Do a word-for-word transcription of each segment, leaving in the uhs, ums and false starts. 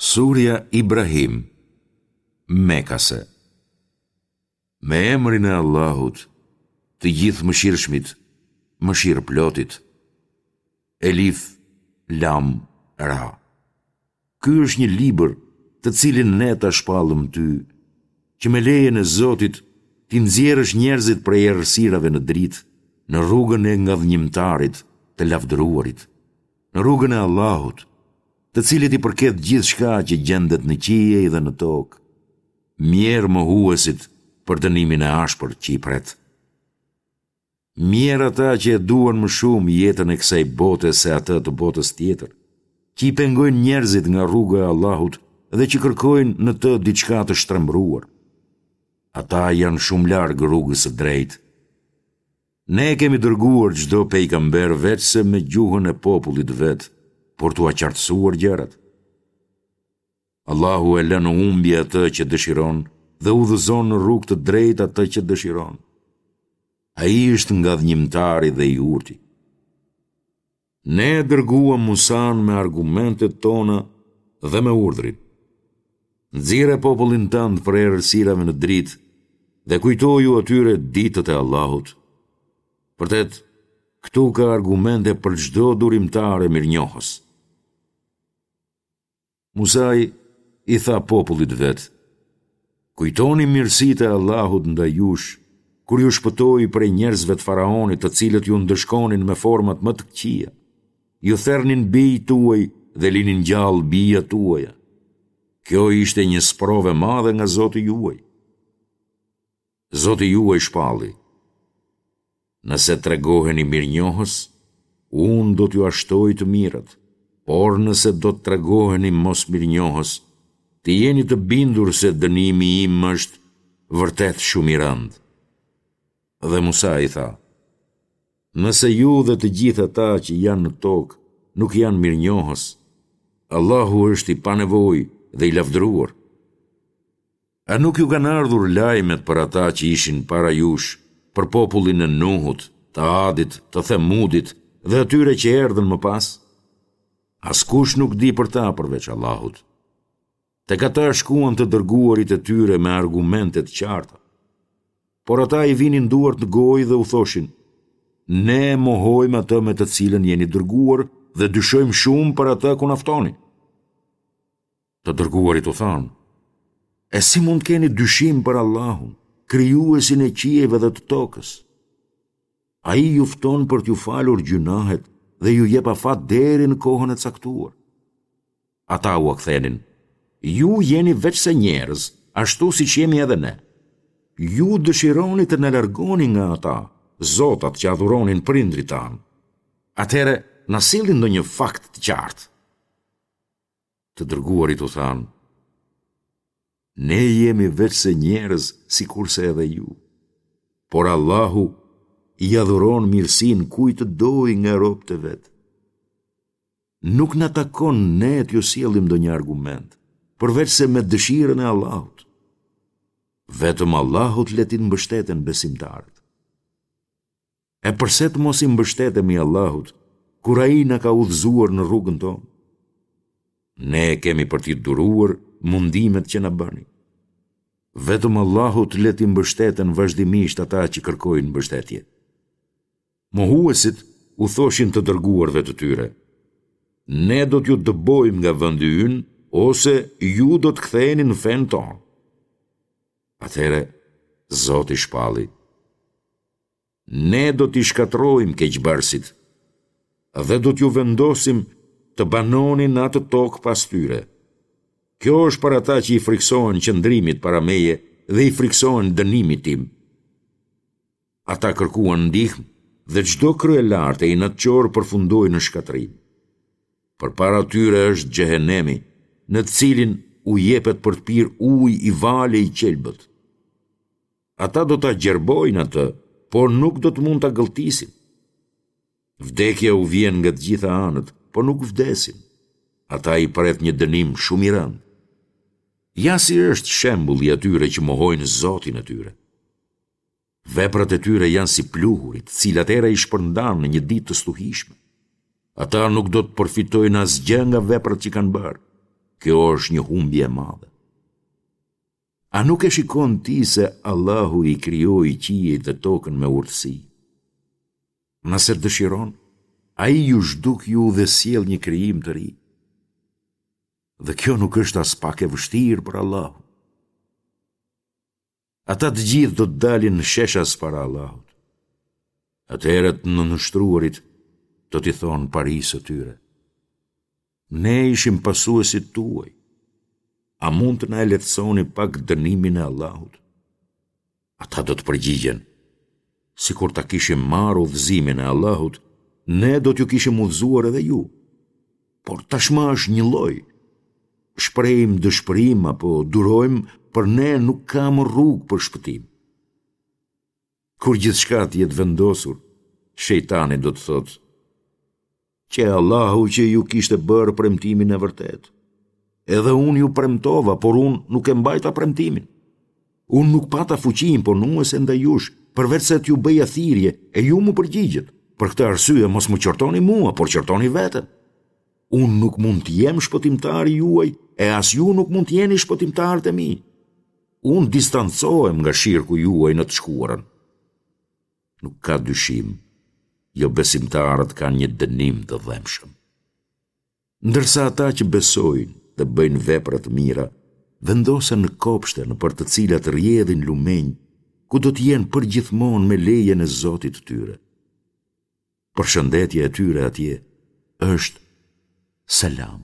Surja Ibrahim, Mekase. Me emrin e Allahut, të Gjithëmëshirshmit, Mëshirëplotit. Elif, Lam, Ra. Ky është një libër të cilin ne ta shpallëm ty, që me lejen e Zotit t'i nxjerrësh njerëzit prej errësirave në dritë, në rrugën e Ngadhënjimtarit, të Lavdëruarit, në rrugën e Allahut, të cilit i përket gjithçka që gjendet në qiej dhe në tokë. Mjerë mohuesit për dënimin e ashpër që i pret. Mjerë ata që e duan më shumë jetën e kësaj bote se atë të botës tjetër, që i pengojnë njerëzit nga rruga e Allahut dhe që kërkojnë në të diçka të shtrembëruar. Ata janë shumë larg rrugës së drejtë. Ne e kemi dërguar çdo pejgamber veçse me gjuhën e popullit të vet, për t'ua qartësuar gjërat. Allahu e lë në humbje atë që dëshiron dhe udhëzon në rrugë të drejtë atë që dëshiron. Ai është ngadhënjimtari dhe i urti. Ne e dërguam Musanë me argumentet tona dhe me urdhrin. Nxirre popullin tënd prej errësirave në dritë dhe kujtoju atyre ditët e Allahut. Vërtet, këtu ka argumente për çdo durimtar e mirënjohës. Musai i tha popullit të vet, Kujtoni mirësitë e Allahut ndaj jush, kur ju shpëtoi prej njerëzve të faraonit të cilët ju ndëshkonin me format më të këqija. Ju thernin bijtë tuaj dhe linin gjallë bijat tuaja. Kjo ishte një sprovë e madhe nga Zoti juaj. Zoti juaj shpalli, Nëse tregoheni mirënjohës, unë do t'jua shtoj të mirat, por nëse do të tregoheni mosmirënjohës, të jeni të bindur se dënimi im është vërtet shumë i rëndë. Dhe Musai tha, Nëse ju dhe të gjithë ata që janë në tokë nuk janë mirënjohës, Allahu është i panevojë dhe i lavdëruar. A nuk ju kanë ardhur lajmet për ata që ishin para jush, për popullin e Nuhut, të Adit, të Themudit dhe atyre që erdhën më pas? Askush nuk di për ta përveç Allahut. Tek ata shkuan të dërguarit e tyre me argumente të qarta. Por ata i vinin duart në gojë dhe u thoshin, Ne mohojmë atë me të cilën jeni dërguar dhe dyshojmë shumë për atë ku na ftoni. Të dërguarit u thanë, E si mund të keni dyshim për Allahun, krijuesin e qiejve dhe të tokës? Ai ju fton për t'ju falur gjynahet dhe ju jep afat deri në kohën e caktuar. Ata ua kthenin, Ju jeni veçse njerëz, ashtu siç jemi edhe ne. Ju dëshironi të na largoni nga ata, zotat që adhuronin prindërit tanë. Atëherë, na sillni ndonjë fakt të qartë. Të dërguarit u thanë, Ne jemi veçse njerëz sikurse edhe ju. Por Allahu ia dhuron mirësinë kujt të dojë nga robët e vet. Nuk na takon ne t'ju sjellim ndonjë argument, përveçse me dëshirën e Allahut. Vetëm Allahut le t'i mbështeten besimtarët. E përse të mos i mbështetemi Allahut, kur Ai na ka udhëzuar në rrugën tonë? Ne kemi për t'i duruar mundimet që na bëni. Vetëm Allahut le t'i mbështeten vazhdimisht ata që kërkojnë mbështetje. Mohuesit u thoshin të dërguarve të tyre, Ne do t'ju dëbojmë nga vendi ynë ose ju do të ktheheni në fenë tonë. Atëherë Zoti shpalli, Ne do t'i shkatërrojmë keqbërësit dhe do t'ju vendosim të banoni në atë tokë pas tyre. Kjo është për ata që i frikësohen qëndrimit para meje dhe i frikësohen dënimit tim. Ata kërkuan ndihmë dhe çdo kryelartë e inatçor përfundoi në shkatërrim. Përpara tyre është xhehenemi, në të cilin u jepet për të pirë ujë i valë e i qelbët. Ata do ta gjerbojnë atë, por nuk do të mund ta gëlltisin. Vdekja u vjen nga të gjitha anët, por nuk vdesin. Ata i pret një dënim shumë i rëndë. Ja si është shembulli i atyre që mohojnë Zotin e tyre. Veprat e tyre janë si pluhuri, të cilat era i shpërndan në një ditë të stuhishme. Ata nuk do të përfitojnë asgjë nga veprat që kanë bërë. Kjo është një humbje e madhe. A nuk e shikon ti se Allahu i krijoi qiejt dhe tokën me urtësi? Nëse dëshiron, Ai ju zhduk ju dhe sjell një krijim të ri. Dhe kjo nuk është aspak e vështirë për Allahun. Ata të gjithë do të dalin sheshas para Allahut. Atëherë të nënshtruarit do t'i thonë parisë së tyre. Ne ishim pasuesit tuaj. A mund të na e lehtësoni pak dënimin e Allahut? Ata do të përgjigjen, sikur ta kishim marrë udhëzimin e Allahut, ne do t'ju kishim udhëzuar edhe ju. Por tashmë është njëlloj. Shprehim dëshpërim apo durojmë, për ne nuk ka më rrugë për shpëtim. Kur gjithçka të jetë vendosur, shejtani do të thotë, Qe Allahu që ju kishte bërë premtimin e vërtetë. Edhe unë ju premtova, por unë nuk e mbajta premtimin. Unë nuk pata fuqi imponuese ndaj jush, përveçse t'ju bëja thirrje, e ju m'u përgjigjët. Për këtë arsye mos më qortoni mua, por qortoni veten. Unë nuk mund të jem shpëtimtari juaj, e as ju nuk mund të jeni shpëtimtarët e mi. Unë distancohem nga shirku juaj në të shkuarën. Nuk ka dyshim, jobesimtarët kanë një dënim të dhembshëm. Ndërsa ata që besojnë dhe bëjnë vepra të mira, vendosen në kopshte nëpër të cilat rrjedhin lumenj, ku do të jenë përgjithmonë me lejen e Zotit të tyre. Përshëndetja e tyre atje është selam.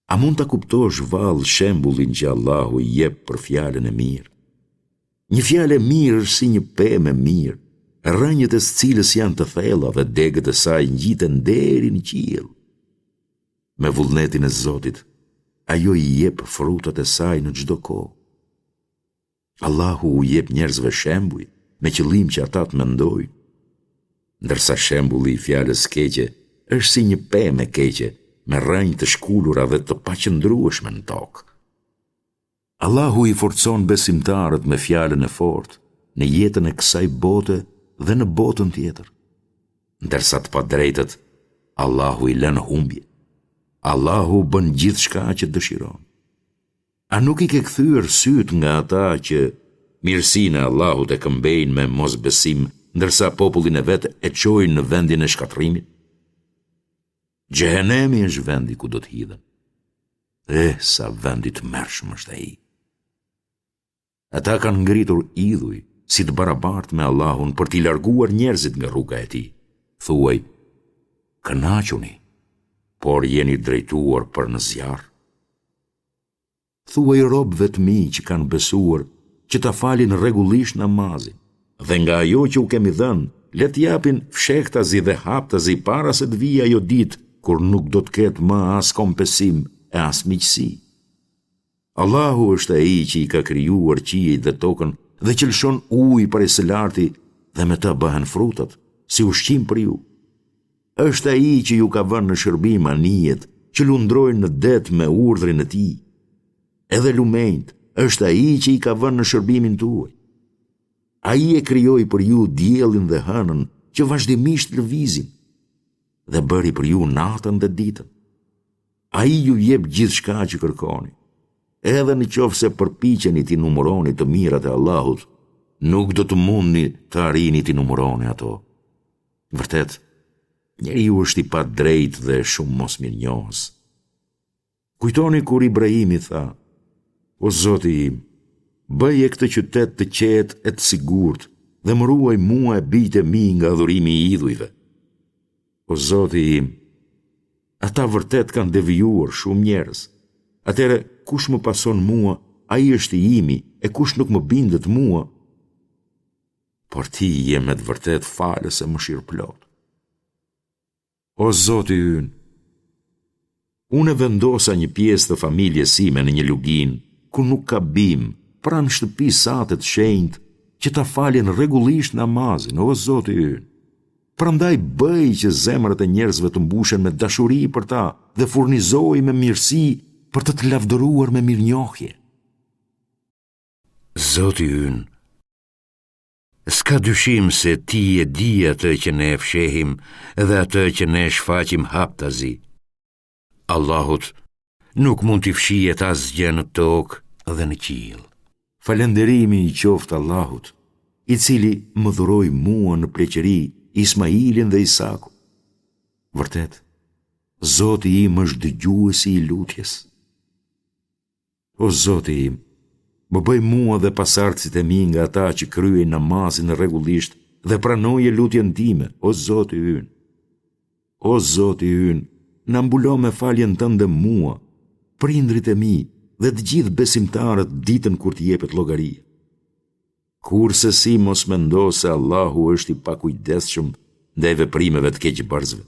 A mund ta kuptosh vallë shembullin që Allahu jep për fjalën e mirë? Një fjalë e mirë është si një pemë e mirë, rrënjët e së cilës janë të thella dhe degët e saj ngjiten deri në qiell. Me vullnetin e Zotit, ajo i jep frutat e saj në çdo kohë. Allahu u jep njerëzve shembuj me qëllim që ata të mendojnë. Ndërsa shembulli i fjalës së keqe është si një pemë e keqe me rrënjë të shkulura dhe të paqëndrueshme në tokë. Allahu i forcon besimtarët me fjalën e fortë në jetën e kësaj bote dhe në botën tjetër. Ndërsa të padrejtët, Allahu i lë në humbje. Allahu bën gjithçka që dëshiron. A nuk i ke kthyer sytë nga ata që mirësinë e Allahut e këmbejnë me mosbesim, ndërsa popullin e vet e çojnë në vendin e shkatërrimit? Xhehenemi është vendi ku do të hidhen. Eh, sa vend i tmerrshëm është ai. Ata kanë ngritur idhuj si të barabartë me Allahun për t'i larguar njerëzit nga rruga e tij. Thuaj, kënaquni, por jeni drejtuar për në zjarr. Thuaj robëve të mi që kanë besuar që ta falin rregullisht namazin dhe nga ajo që u kemi dhënë, le të japin fshehtazi dhe haptazi para se të vijë ajo ditë kur nuk do të ketë më as kompensim e as miqësi. Allahu është ai që i ka krijuar qiejt dhe tokën dhe që lëshon ujë prej së larti dhe me të bëhen frutat, si ushqim për ju. Është ai që ju ka vënë në shërbim anijet që lundrojnë në det me urdhrin e tij. Edhe lumenjtë, është ai që i ka vënë në shërbimin tuaj. Ai e krijoi për ju diellin dhe hënën që vazhdimisht lëvizin dhe bëri për ju natën dhe ditën. Ai ju jep gjithçka që kërkoni. Edhe në qoftë se përpiqeni t'i numëroni të mirat e Allahut, nuk do të mundni të arrini t'i numëroni ato. Vërtet, njeriu është i padrejtë dhe shumë mosmirënjohës. Kujtoni kur Ibrahimi tha, O Zoti im, bëje këtë qytet të qetë e të sigurt dhe më ruaj mua e bijtë e mi nga adhurimi i idhujve. O Zoti im, ata vërtet kanë devijuar shumë njerëz. Atëherë, kush më pason mua, ai është i imi, e kush nuk më bindet mua, por ti je me të vërtetë falës e mëshirëplotë. O Zoti ynë, unë e vendosa një pjesë të familjes sime në një luginë ku nuk ka bimë, pranë shtëpisë sate të shenjtë, që ta falin rregullisht namazin, o Zoti ynë. Prandaj bëj që zemrat e njerëzve të mbushen me dashuri për ta dhe furnizoji me mirësi për të të lavdëruar me mirënjohje. Zoti ynë, s'ka dyshim se ti e di atë që ne fshehim dhe atë që ne shfaqim haptazi. Allahut Nuk mund t'i fshihet asgjë në tokë dhe në qiell. Falënderimi i qoftë Allahut, i cili më dhuroi mua në pleqëri Ismailin dhe Isakun. Vërtet, Zoti im është dëgjuesi i lutjes. O Zoti im, më bëj mua dhe pasardhësit e mi nga ata që kryejnë namazin rregullisht dhe pranoje lutjen time, o Zoti ynë. O Zoti ynë, na mbulo me faljen tënde mua, prindërit e mi dhe të gjithë besimtarët ditën kur të jepet llogaria. Kurrsesi mos mendo se Allahu është i pakujdesshëm ndaj veprimeve të keqbërësve.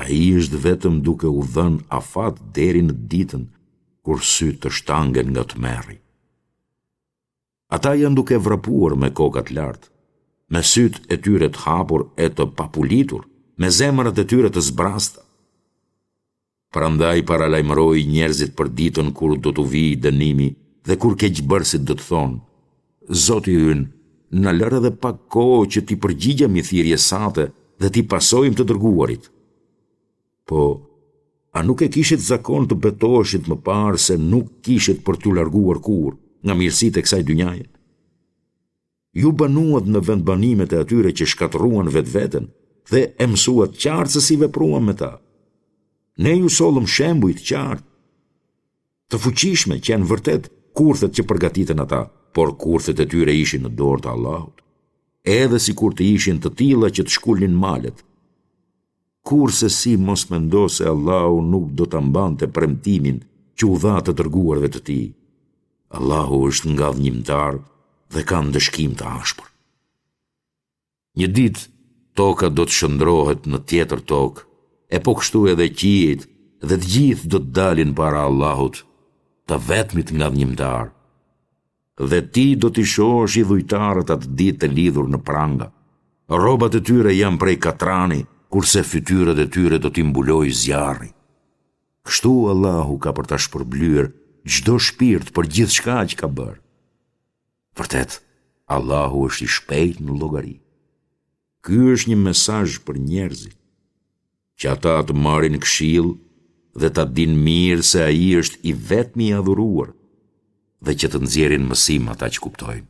Ai është vetëm duke u dhënë afat deri në ditën kur sytë të shtangen nga tmerri. Ata janë duke vrapuar me kokat lart, me sytë e tyre të hapur e të papulitur, me zemrat e tyre të zbrazëta. Prandaj paralajmëroji njerëzit për ditën kur do t'u vijë dënimi dhe kur keqbërësit do të thonë, Zoti ynë, na lër edhe pak kohë që t'i përgjigjemi thirrjes sate dhe t'i pasojmë të dërguarit. Po, a nuk e kishit zakon të betoheshit më parë se nuk kishit për t'u larguar kurrë nga mirësitë e kësaj dynjaje? Ju banuat në vendbanimet e atyre që shkatërruan vetveten dhe e mësuat qartë se si vepruam me ta. Ne ju sollëm shembuj të qartë, të fuqishme që janë vërtet kurthet që përgatitën ata, por kurthet e tyre ishin në dorë të Allahut. Edhe sikur të ishin të tilla që të shkulnin malet. Kurrsesi mos mendo se Allahu nuk do ta mbante premtimin që u dha të dërguarve të tij. Allahu është ngadhënjimtar dhe ka ndëshkim të ashpër. Një ditë toka do të shndërrohet në tjetër tokë, e po kështu edhe qiejt dhe të gjithë do të dalin para Allahut, të vetmit ngadhënjimtar. Dhe ti do t'i shohësh idhujtarët atë ditë të lidhur në pranga. Rrobat e tyre janë prej katrani, kurse fytyrat e tyre do t'i mbulojë zjarri. Kështu Allahu ka për ta shpërblyer çdo shpirt për gjithçka që ka bërë. Vërtet, Allahu është i shpejtë në llogari. Ky është një mesazh për njerëzit, që ata të marrin këshillë dhe ta dinë mirë se Ai është i vetmi i adhuruar dhe që të nxjerrin mësim ata që kuptojnë.